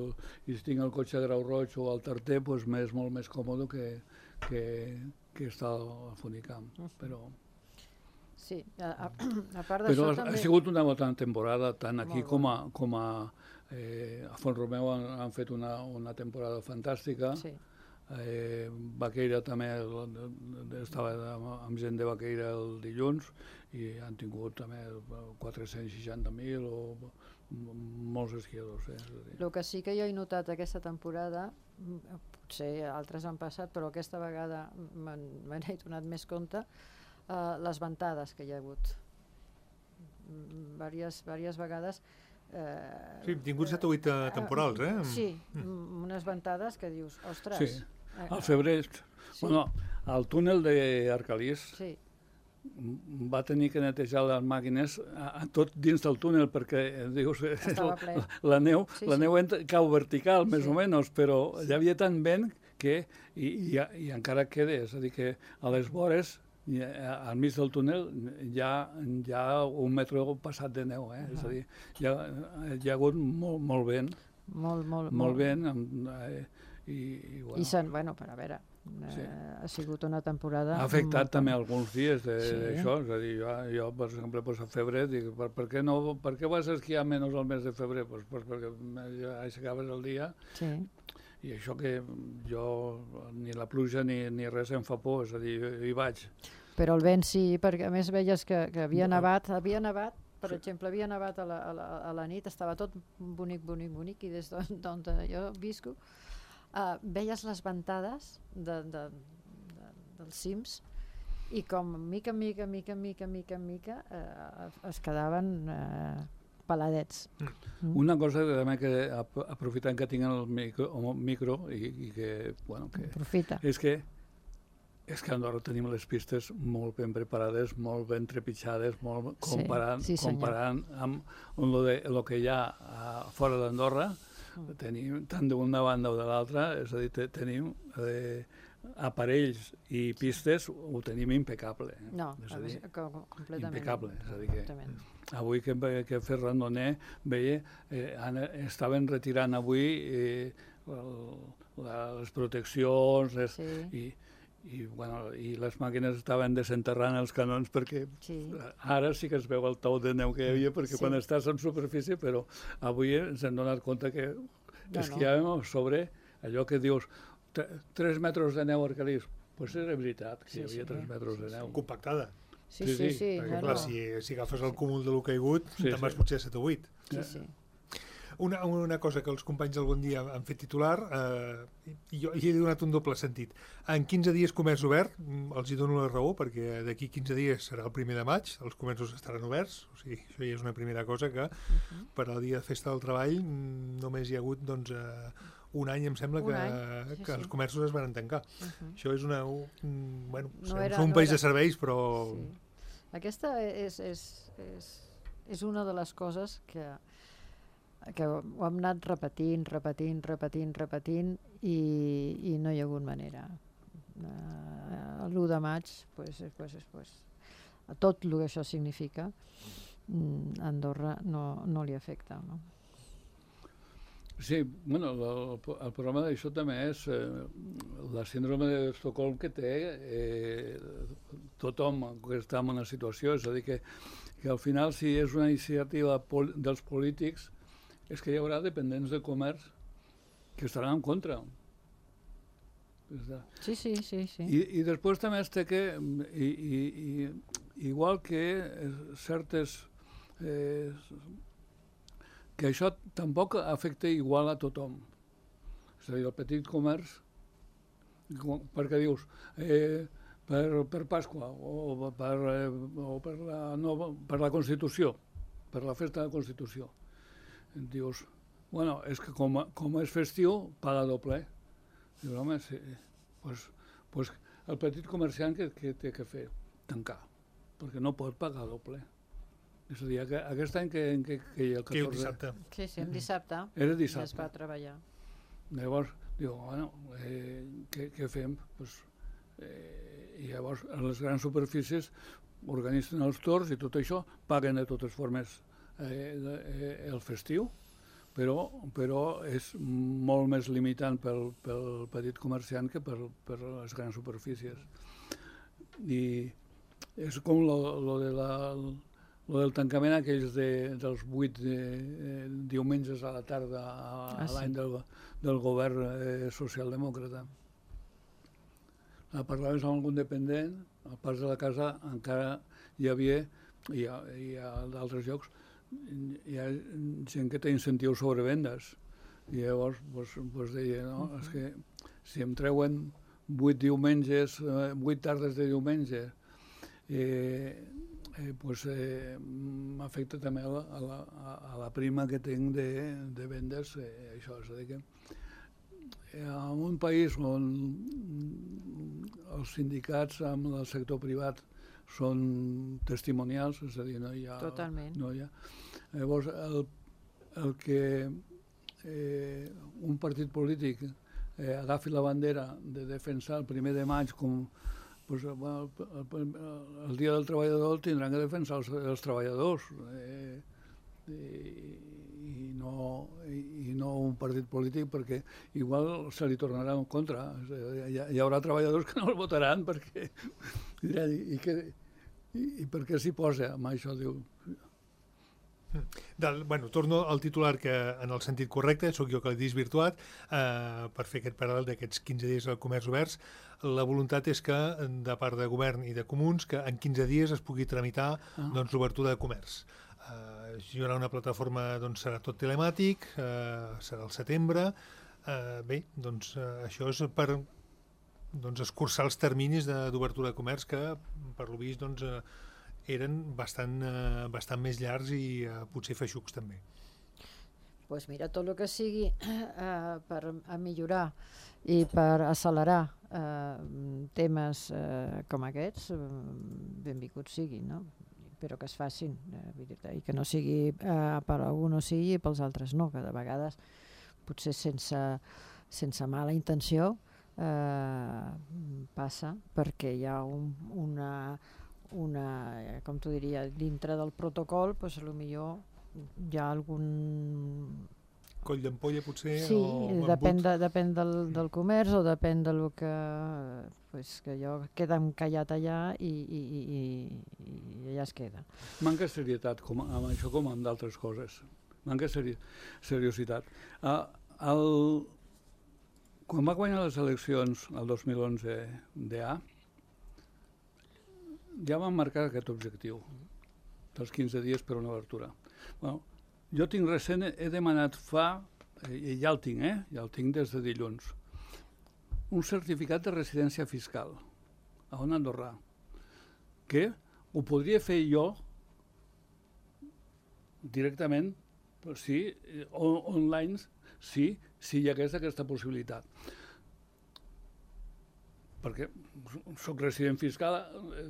i si tinc el cotxe a Grau Roig o al Tarter, pues m'és molt més còmode que, que, que estar al Funicamp. Però... Sí, a, a, a part d'això Però ha, també... ha sigut una bona temporada, tant aquí Molt com a, com a Eh, a Font-romeu han, han fet una, una temporada fantàstica. Sí. Eh, Baqueira també, estava amb, amb gent de Baqueira el dilluns, i han tingut també quatre-cents seixanta mil o molts esquiadors. Eh? El que sí que jo he notat aquesta temporada, potser altres han passat, però aquesta vegada me n'he donat més compte, eh, les ventades que hi ha hagut. Vàries, vàries vegades. Eh, sí, hem tingut set o vuit uh, temporals, eh? Sí, mm. unes ventades que dius, ostres... Sí, al febrer. Sí. Bueno, el túnel d'Arcalís sí. va tenir que netejar les màquines a, a tot dins del túnel, perquè dius, la, la neu, sí, la neu sí. cau vertical, més sí. o menys, però sí. hi havia tant vent que, i, i, i encara queda, és a dir, que a les vores, I, al mig del túnel hi ha, hi ha un metre passat de neu, eh? Uh-huh. És a dir, hi ha, hi ha hagut molt, molt vent, molt, molt, molt vent, amb, eh, i, i, bueno, I sen, bueno, per a veure, sí. eh, ha sigut una temporada... Ha afectat molt... també alguns dies d'això, sí. és a dir, jo, jo per exemple, pues, a febrer, dic, per, per, què no, per què vas esquiar menys al mes de febrer? Pues, pues perquè ja aixecaves el dia, sí. I això que jo, ni la pluja ni, ni res em fa por, és a dir, hi vaig. Però el vent sí, perquè a més veies que, que havia nevat, havia nevat, per sí. exemple, havia nevat a la, a, la, a la nit, estava tot bonic, bonic, bonic, i des d'on jo visco, uh, veies les ventades de, de, de, dels cims, i com mica, mica, mica, mica, mica, mica, uh, es quedaven... Uh, peladets. Mm. Una cosa que també que aprofitant que tinc el micro, el micro i, i que, bueno, que Aprofita. és que és que a Andorra tenim les pistes molt ben preparades, molt ben trepitjades, molt comparant, sí, sí, comparant amb el de, lo que hi ha a, fora d'Andorra, mm. tenim tant d'una banda o de l'altra, és a dir, te, tenim eh, aparells i pistes, ho tenim impecable. No, és a dir, completament. Impecable, és a dir que avui que, que he fet randoner, veia, eh, estaven retirant avui eh, el, la, les proteccions, les, sí. i, i, bueno, i les màquines estaven desenterrant els canons, perquè sí. ara sí que es veu el tou de neu que hi havia, perquè sí. quan estàs en superfície, però avui ens hem donat compte que no, esquiàvem no. sobre allò que dius, tres metres de neu a Arcalís, doncs pues era veritat que sí, hi havia sí, tres metres sí, de neu. Compactada. Sí, sí, sí. sí perquè, no, clar, no. si, si agafes el cúmul de lo caigut, sí, te'n vas sí. potser a set o vuit. Sí, sí. Una, una cosa que els companys del Bon Dia han fet titular, eh, i jo hi he donat un doble sentit. En quinze dies comerç obert, els hi dono la raó, perquè d'aquí quinze dies serà el primer de maig, els comerços estaran oberts, o sigui, això ja és una primera cosa que uh-huh. per al dia de festa del treball només hi ha hagut, doncs, eh, un any em sembla que, sí, que sí. els comerços es van tancar. Uh-huh. Això és una... Un, bueno, no era, un país no era... de serveis, però... Sí. Aquesta és, és, és, és una de les coses que, que ho hem anat repetint, repetint, repetint, repetint i, i no hi ha hagut manera. Uh, l'u de maig, pues, pues, pues, tot el que això significa, a Andorra no, no li afecta, no? Sí, bueno, el, el problema d'això també és eh, la síndrome d'Estocolm que té eh, tothom que està en una situació, és a dir, que, que al final si és una iniciativa pol dels polítics és que hi haurà dependents de comerç que estaran en contra. Sí, sí, sí. sí. I, I després també es té que, i, i, i, igual que certes... Eh, que això tampoc afecta igual a tothom. És a dir, el petit comerç, perquè dius, eh, per, per Pasqua o, per, eh, o per, la nova, per la Constitució, per la festa de la Constitució, dius, bueno, és que com, com és festiu, paga doble. Dius, home, sí, pues, pues el petit comerciant que, que té que fer? Tancar, perquè no pot pagar doble. És a dir, aquest any que, que, que hi ha el catorze... Que el dissabte. Sí, sí, el dissabte. Era dissabte. Es va treballar. Llavors, diu, bueno, eh, què, què fem? Pues, eh, I llavors, a les grans superfícies organitzen els torns i tot això, paguen de totes formes eh, de, eh, el festiu, però, però és molt més limitant pel, pel petit comerciant que per, per les grans superfícies. I és com lo, lo de la... Lo del tancament aquells de, dels vuit de, eh, diumenges a la tarda a, ah, a l'any sí. del, del govern eh, socialdemòcrata. Parlaves amb algun dependent, al pas de la casa encara hi havia, i a, i a d'altres llocs, hi ha gent que té incentius sobre vendes. I llavors pues, pues deia, no, és que si em treuen vuit diumenges, eh, vuit tardes de diumenge, eh, Eh, pues, eh, m'afecta també a la, a, la, a la prima que tinc de, de vendes, eh, això, és a dir que eh, en un país on els sindicats amb el sector privat són testimonials, és a dir, no hi ha... Totalment. No hi ha. Llavors, el, el que eh, un partit polític eh, agafi la bandera de defensar el primer de maig com pues, bueno, el, el, el dia del treballador el tindran que defensar els, els treballadors eh, i, i, no, i, i no un partit polític perquè igual se li tornarà en contra. Hi, hi haurà treballadors que no el votaran perquè diran, i, i, que, i, i per què s'hi posa amb això? Diu, Del, bueno, torno al titular que en el sentit correcte, sóc jo que l'he desvirtuat, eh, per fer aquest paral·lel d'aquests quinze dies al comerç oberts. La voluntat és que, de part de govern i de comuns, que en quinze dies es pugui tramitar ah. doncs, l'obertura de comerç. Eh, hi haurà una plataforma, doncs serà tot telemàtic, eh, serà al setembre. Eh, bé, doncs eh, això és per doncs, escurçar els terminis d'obertura de, de comerç que, per lo vist, doncs, eh, eren bastant, eh, bastant més llargs i eh, potser feixucs també. Doncs pues mira, tot el que sigui eh, per a millorar i per accelerar eh, temes eh, com aquests, eh, benvinguts siguin, no? Però que es facin, eh, i que no sigui eh, per a algú no sigui i pels altres no, que de vegades potser sense, sense mala intenció eh, passa perquè hi ha un, una una, com t'ho diria, dintre del protocol, doncs potser hi ha algun... Coll d'ampolla, potser? Sí, o depèn, de, depèn del, del comerç o depèn del que... Pues, que allò queda encallat allà i, i, i, i allà es queda. Manca serietat com, amb això com amb d'altres coses. Manca seri seriositat. Uh, el, quan va guanyar les eleccions el dos mil onze d'E A, ja vam marcar aquest objectiu dels quinze dies per una obertura. Bueno, jo tinc recent, he demanat fa, i ja el tinc, eh? ja el tinc des de dilluns, un certificat de residència fiscal a un andorrà, que ho podria fer jo directament, sí, on, online, sí, si hi hagués aquesta possibilitat. perquè soc resident fiscal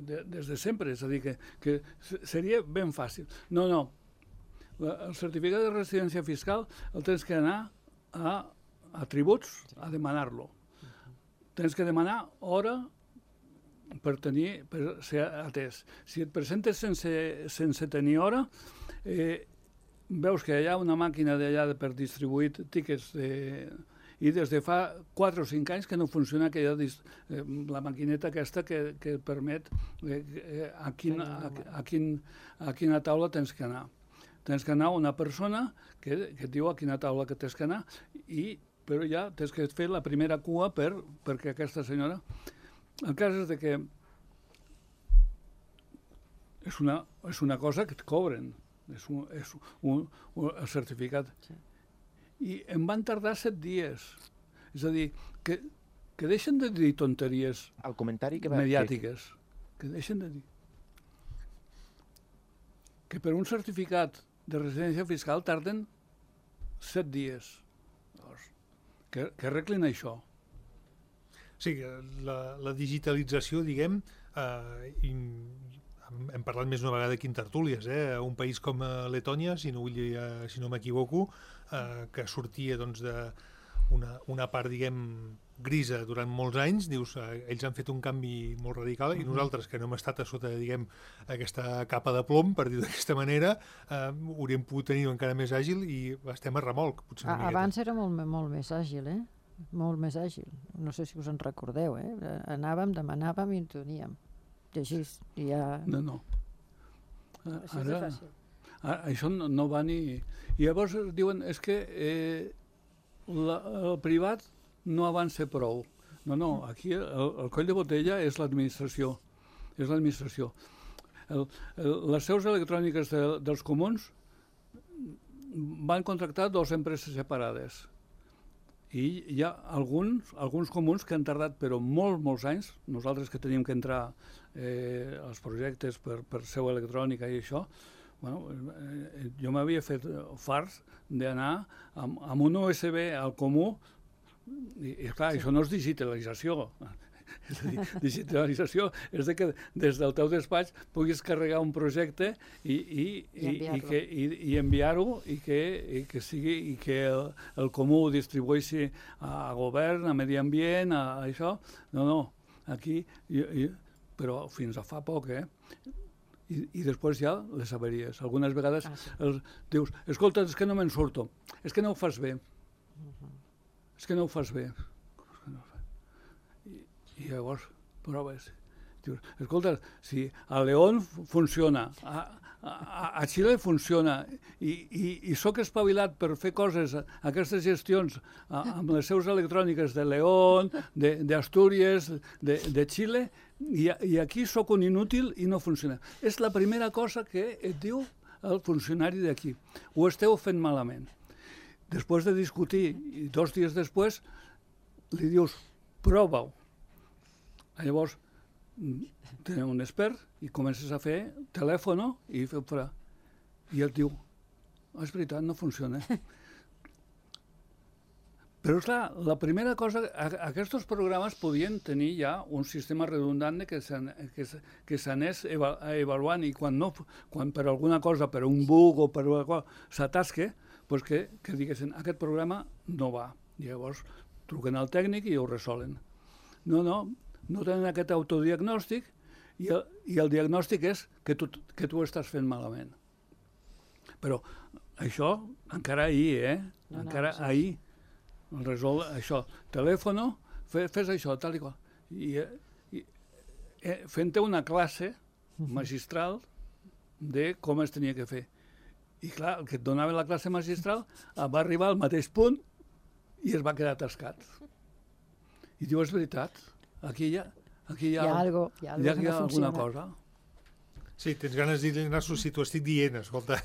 de, des de sempre, és a dir, que, que seria ben fàcil. No, no, el certificat de residència fiscal el tens que anar a, a tributs a demanar-lo. Tens que demanar hora per tenir, per ser atès. Si et presentes sense, sense tenir hora, eh, veus que hi ha una màquina d'allà per distribuir tíquets de, i des de fa quatre o cinc anys que no funciona aquella, eh, la maquineta aquesta que, que et permet eh, eh, a, quin, a, a, quin, a quina taula tens que anar. Tens que anar una persona que, que et diu a quina taula que tens que anar, i, però ja tens que fer la primera cua per, perquè aquesta senyora... El cas és de que és una, és una cosa que et cobren, és un, és un, un, el certificat. Sí. I em van tardar set dies. És a dir, que, que deixen de dir tonteries el comentari que va, mediàtiques. Que... que deixen de dir. Que per un certificat de residència fiscal tarden set dies. Llavors, que, que arreglin això. Sí, la, la digitalització, diguem, eh, i, hem parlat més una vegada aquí en tertúlies, eh, un país com Letònia, si no, vull, si no m'equivoco, eh, que sortia doncs, de una, una part, diguem, grisa durant molts anys, dius, eh, ells han fet un canvi molt radical, mm-hmm. i nosaltres, que no hem estat a sota, diguem, aquesta capa de plom, per dir d'aquesta manera, eh, hauríem pogut tenir encara més àgil i estem a remolc, potser una miqueta. Abans era molt, molt més àgil, eh? Molt més àgil. No sé si us en recordeu, eh? Anàvem, demanàvem i en teníem. I així, i ja... No, no. Així ara, és fàcil. Ara, això no, no va ni... I llavors diuen, és que eh, la, el privat no avança prou. No, no, aquí el, el coll de botella és l'administració. És l'administració. El, el, les seus electròniques de, dels comuns van contractar dues empreses separades. I hi ha alguns, alguns comuns que han tardat però molt, molts anys, nosaltres que teníem que entrar eh, als projectes per, per seu electrònica i això, bueno, eh, jo m'havia fet farts d'anar amb, amb un U S B al comú i, i clar, sí. Això no és digitalització. És a dir, digitalització és de que des del teu despatx puguis carregar un projecte i, i, i, i, que, i, i enviar-ho i que, i que sigui i que el, el comú ho distribueixi a govern, a medi ambient, a, a això. No, no, aquí, i, i, però fins a fa poc, eh? I, i després ja les averies. Algunes vegades ah, sí. els, dius, escolta, és que no me'n surto, és que no ho fas bé, uh-huh. és que no ho fas bé. I llavors proves. Dius, escolta, si a León funciona, a, a, a Xile funciona, i, i, i sóc espavilat per fer coses, aquestes gestions a, amb les seus electròniques de León, d'Astúries, de, de, de Xile, i, i aquí sóc un inútil i no funciona. És la primera cosa que et diu el funcionari d'aquí. Ho esteu fent malament. Després de discutir, i dos dies després, li dius, prova-ho. Llavors, tenim un expert i comences a fer telèfon i fer fora. I ell diu, oh, és veritat, no funciona. Però, clar, la primera cosa, aquests programes podien tenir ja un sistema redundant que s'anés avaluant i quan, no, quan per alguna cosa, per un bug o per alguna cosa, s'atasque, doncs que, que diguessin, aquest programa no va. I llavors truquen al tècnic i ho resolen. No, no, no tenen aquest autodiagnòstic i el, i el diagnòstic és que tu, que tu estàs fent malament. Però això encara ahir, eh? No, encara no, sí. ahir el resol això. Telèfono, fe, fes això, tal i qual. I, i eh, fent-te una classe magistral de com es tenia que fer. I clar, el que et donava la classe magistral va arribar al mateix punt i es va quedar atascat. I diu, és veritat, aquí hi ha, aquí hi ha, hi ha, algo, hi ha, algo hi ha, hi ha no alguna cosa. Sí, tens ganes de dir, Narso, si t'ho estic dient, escolta.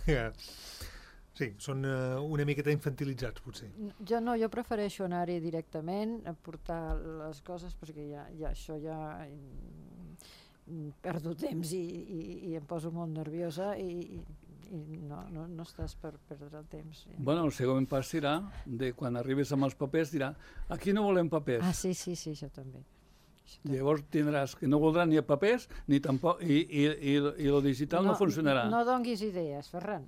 Sí, són uh, una miqueta infantilitzats, potser. Jo no, jo prefereixo anar-hi directament, a portar les coses, perquè ja, ja això ja perdo temps i, i, i em poso molt nerviosa i, i no, no, no estàs per perdre el temps. Ja. Bueno, el següent pas serà, de quan arribes amb els papers, dirà, aquí no volem papers. Ah, sí, sí, sí, això també. Llavors tindràs que no voldran ni papers ni tampoc, i, i, i, i el digital no, no funcionarà. No donguis idees, Ferran.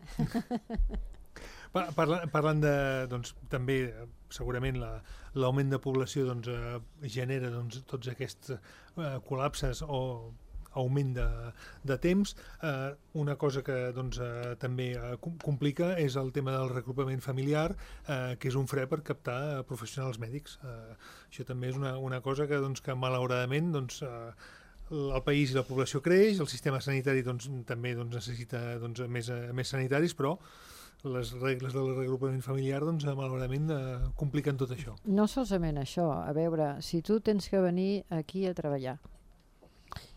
Parlant, parlant de, doncs, també, segurament, l'augment la, de població doncs, eh, genera doncs, tots aquests eh, col·lapses o augment de, de temps. Eh, una cosa que doncs, eh, també eh, complica és el tema del regrupament familiar, eh, que és un fre per captar eh, professionals mèdics. Eh, això també és una, una cosa que, doncs, que malauradament doncs, eh, el país i la població creix, el sistema sanitari doncs, també doncs, necessita doncs, més, més sanitaris, però les regles del regrupament familiar doncs, malauradament eh, compliquen tot això. No solament això, a veure, si tu tens que venir aquí a treballar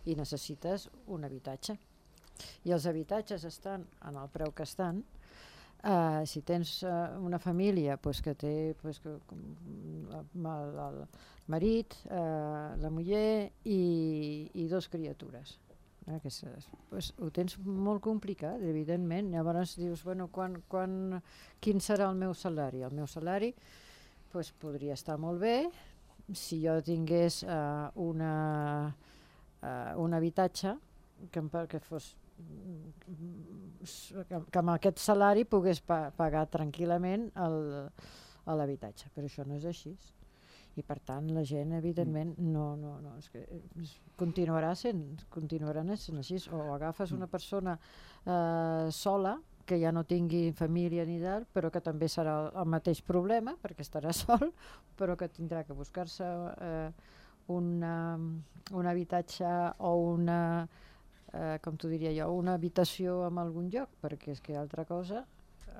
i necessites un habitatge i els habitatges estan en el preu que estan, eh, si tens eh, una família pues, que té pues, que, el, el marit, eh, la muller i, i dos criatures, eh, que és, pues, ho tens molt complicat, evidentment. Llavors dius, bueno, quan, quan, quin serà el meu salari? El meu salari pues, podria estar molt bé si jo tingués eh, una Uh, un habitatge que, que fos que, que amb aquest salari pogués pa, pagar tranquil·lament l'habitatge, però això no és així i per tant la gent evidentment no, no, no és que és, continuarà sent continuarà sent així, o agafes una persona eh, sola que ja no tingui família ni tal, però que també serà el mateix problema perquè estarà sol, però que tindrà que buscar-se eh, Una, un habitatge o una, eh, com t'ho diria jo, una habitació en algun lloc, perquè és que altra cosa,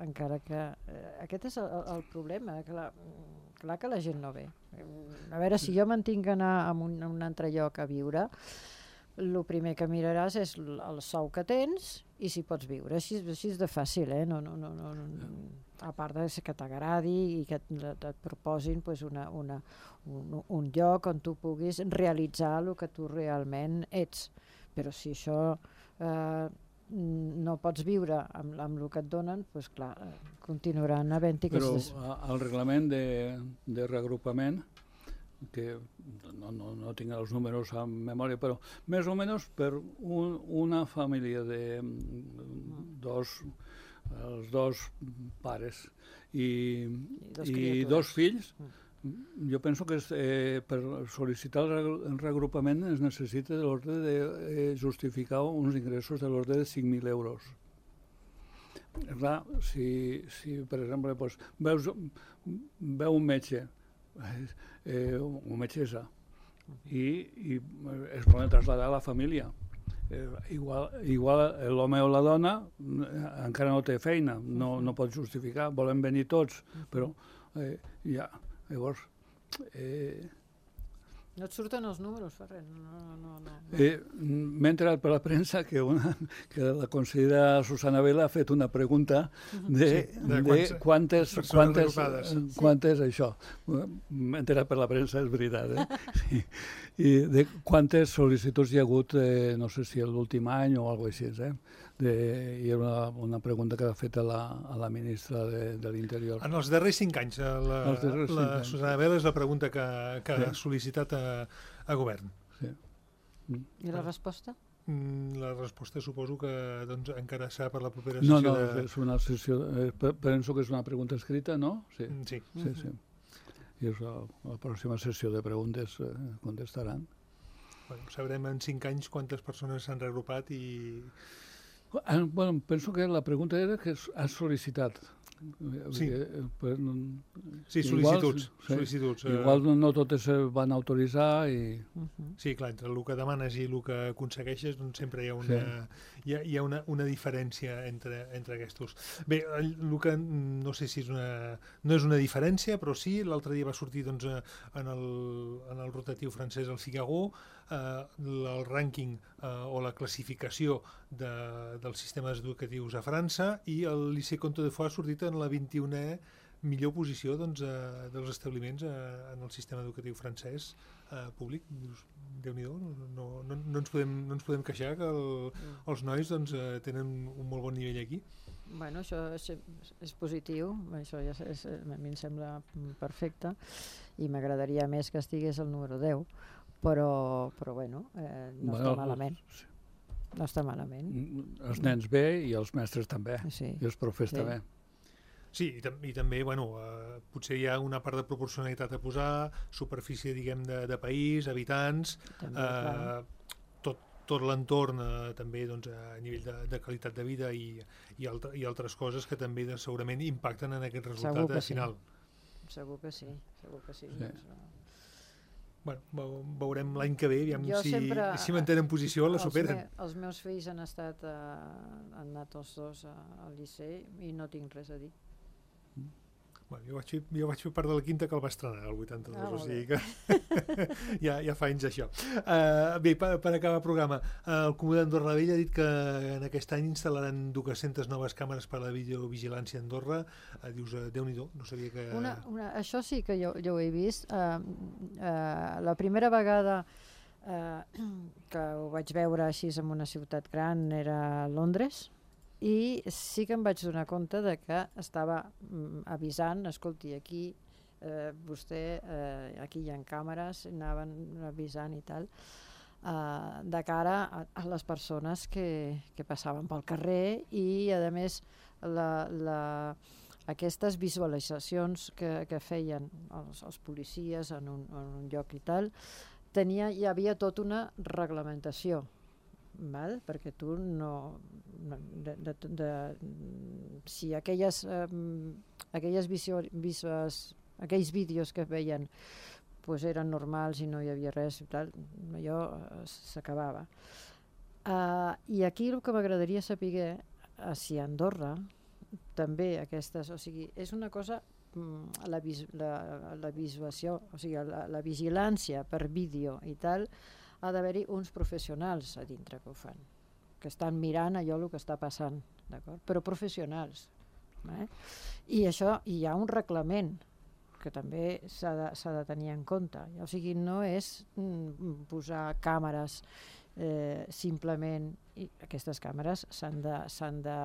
encara que... Eh, aquest és el, el problema, clar, clar que la gent no ve. A veure, si jo me'n tinc d'anar a un, a un altre lloc a viure, el primer que miraràs és el sou que tens i si pots viure. Així, així és de fàcil, eh? No, no, no, no, no. A part de que t'agradi i que et, et proposin pues, una, una, un, un lloc on tu puguis realitzar el que tu realment ets. Però si això eh, no pots viure amb, amb el que et donen, doncs clar, continuaran havent-hi aquestes... Però el reglament de, de reagrupament, que no, no, no tinc els números a memòria, però més o menys per un, una família de dos, els dos pares i, I, dos, i dos fills, jo penso que és, eh, per sol·licitar el reagrupament es necessita de l'ordre de eh, justificar uns ingressos de l'ordre de cinc mil euros. Clar, si, si per exemple doncs, veus, veu un metge, eh, un metgessa, i, i es poden traslladar a la família. Eh, igual igual l'home o la dona encara no té feina, no, no pot justificar, volen venir tots, però eh, ja, llavors... Eh, No et surten els números, Ferran. No, no, no. Eh, M'he enterat per la premsa que, una, que la consellera Susana Vela ha fet una pregunta de, sí, de, de quantes, quantes, quantes, quantes sí. Això. M'he enterat per la premsa, és veritat. Eh? Sí. I de quantes sol·licituds hi ha hagut, eh, no sé si l'últim any o alguna cosa així, eh? De, hi era una, una pregunta que ha fet a la, a la ministra de, de l'Interior. En els darrers cinc anys, la, darrers la cinc Susana anys. Vela és la pregunta que, que sí. ha sol·licitat a, a govern. Sí. I la resposta? La resposta suposo que doncs, encara serà per la propera No, sessió. no, de... és una sessió, eh, penso que és una pregunta escrita, no? Sí, sí. sí, sí. I és la, la pròxima sessió de preguntes eh, contestaran. Bueno, sabrem en cinc anys quantes persones s'han reagrupat i... Bueno, penso que la pregunta era que has sol·licitat. Sí, per, sí sol·licituds. Igual, sol·licituds. Igual no, no totes es van autoritzar i... Uh -huh. Sí, clar, entre el que demanes i el que aconsegueixes doncs sempre hi ha una, sí. hi ha, hi ha una, una diferència entre, entre aquests. Bé, el, el que no sé si és una... no és una diferència, però sí, l'altre dia va sortir doncs, en, el, en el rotatiu francès el Figaro, eh, el rànquing eh, o la classificació de, dels sistemes educatius a França, i el Lycée Comte de Foix ha sortit en la vint-i-unena millor posició doncs, eh, dels establiments eh, en el sistema educatiu francès eh, públic. Dius, Déu-n'hi-do, no, no, no, ens podem, no ens podem queixar que el, els nois doncs, eh, tenen un molt bon nivell aquí. Bueno, això és, és positiu, això ja és, a mi em sembla perfecte, i m'agradaria més que estigués el número deu, però, però bueno, eh, no Bueno, està malament. sí. No està malament. Els nens bé i els mestres també, Sí. i els profes Sí. també. Sí, i, tam i també, bueno, eh, potser hi ha una part de proporcionalitat a posar, superfície, diguem, de, de país, habitants, També, eh, clar. tot, tot l'entorn eh, també doncs, a nivell de, de qualitat de vida i, i, altre, i altres coses que també de, segurament impacten en aquest resultat Segur que eh, sí. final. Segur que sí, segur que sí. Sí. Doncs, no. Bueno, veu- veurem l'any que ve, aviam Jo si, sempre- si mantenen posició o la Els superen. me- Els meus fills han estat, eh, han anat els dos a- al liceu i no tinc res a dir. Bueno, jo, vaig fer, jo vaig fer part de la quinta que el va estrenar, el vuitanta-dos, Ah, o molt sigui que ja, ja fa anys això. Uh, bé, per, per acabar el programa, uh, el Comú d'Andorra la Vella ha dit que en aquest any instal·laran dues-centes noves càmeres per a la videovigilància a Andorra. Uh, dius, uh, Déu-n'hi-do, no sabia que... Una, una, això sí que jo, jo ho he vist. Uh, uh, la primera vegada uh, que ho vaig veure així en una ciutat gran era a Londres, i sí que em vaig donar compte de que estava mm, avisant, escolti, aquí eh, vostè, eh, aquí hi ha càmeres, anaven avisant i tal, eh, de cara a, a les persones que, que passaven pel carrer, i a més la, la, aquestes visualitzacions que, que feien els, els policies en un, en un lloc i tal, tenia, hi havia tota una reglamentació, val? Perquè tu no... De, de, de, de, si aquelles, eh, aquelles visu, visuals, aquells vídeos que veien pues eren normals i no hi havia res i tal, allò eh, s'acabava. Uh, I aquí el que m'agradaria saber, uh, si a Andorra també aquestes, o sigui, és una cosa, mm, la, vis, la, la visuació, o sigui, la, la vigilància per vídeo i tal, ha d'haver-hi uns professionals a dintre que ho fan, que estan mirant allò el que està passant, d'acord? Però professionals. Eh? I això, hi ha un reglament que també s'ha de, s'ha de tenir en compte. O sigui, no és mm, posar càmeres eh, simplement, i aquestes càmeres s'han de, s'han de,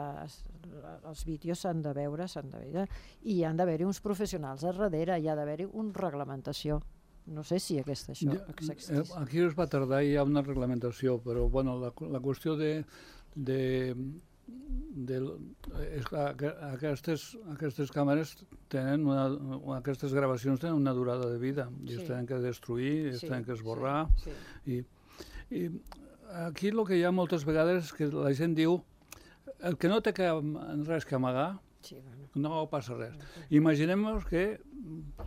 els vídeos s'han de veure, s'han de veure, i hi han d'haver-hi uns professionals a darrere, hi ha d'haver-hi una reglamentació. No sé si aquesta això Ja, existeix. aquí es va tardar i hi ha una reglamentació, però bueno, la, la qüestió de, de, de, és clar, que aquestes, aquestes càmeres tenen una, aquestes gravacions tenen una durada de vida, i Sí. es tenen que destruir, es Sí, tenen que esborrar, sí, i, i aquí el que hi ha moltes vegades és que la gent diu el que no té que, res que amagar, sí, bueno. no passa res. Imaginem-nos que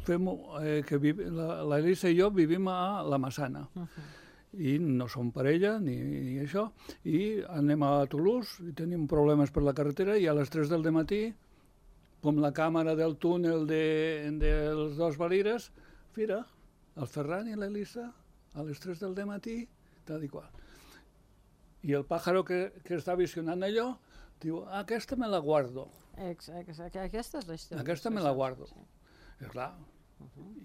fem, eh, que la, la Elisa i jo vivim a la Massana, Uh -huh. i no som parella ni, ni això, i anem a Toulouse i tenim problemes per la carretera, i a les tres del matí, com la càmera del túnel de, dels dos Valires, mira, el Ferran i l'Elisa a les tres del matí, tal i qual. I el pàjaro que, que està visionant allò diu, aquesta me la guardo. Ex, ex, aquesta és la història. Aquesta me la guardo. Sí. És clar,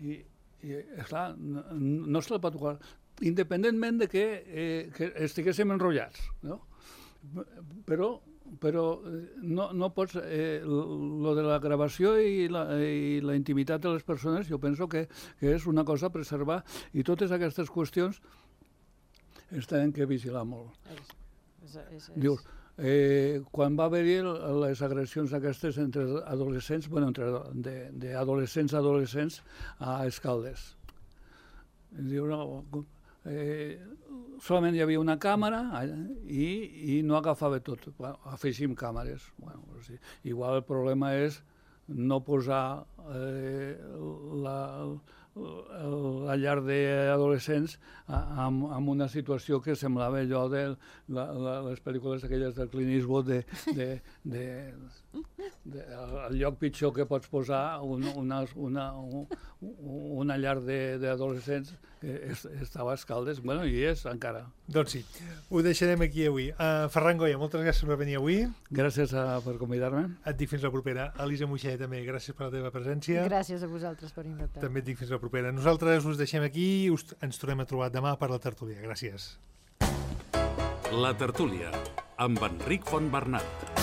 i, i és clar, no, no se la pot guardar, independentment de que, eh, que estiguéssim enrotllats, no? Però, però no, no pots... Eh, lo de la gravació i la, i la intimitat de les persones, jo penso que, que és una cosa a preservar, i totes aquestes qüestions es tenen que vigilar molt. És, és, és, Dius, eh, quan va haver-hi les agressions aquestes entre adolescents, bueno, entre d'adolescents a adolescents a Escaldes. Diu, no, eh, solament hi havia una càmera i, i no agafava tot. Bueno, afegim càmeres. Bueno, o sigui, igual el problema és no posar eh, la, la llar d'adolescents en, en una situació que semblava allò de la, la, les pel·lícules aquelles del Clint Eastwood de, de, de, de, el lloc pitjor que pots posar un, una, una, una llar d'adolescents que estava a Escaldes, bueno, i és encara. Doncs sí, ho deixarem aquí avui. Uh, Ferran Goya, moltes gràcies per venir avui. Gràcies a, per convidar-me. Et dic fins la propera. Elisa Moixella, també, gràcies per la teva presència. Gràcies a vosaltres per invitar. També et dic fins la propera. Nosaltres us deixem aquí i us, ens tornem a trobar demà per la tertúlia. Gràcies. La tertúlia, amb Enric Fontbernat.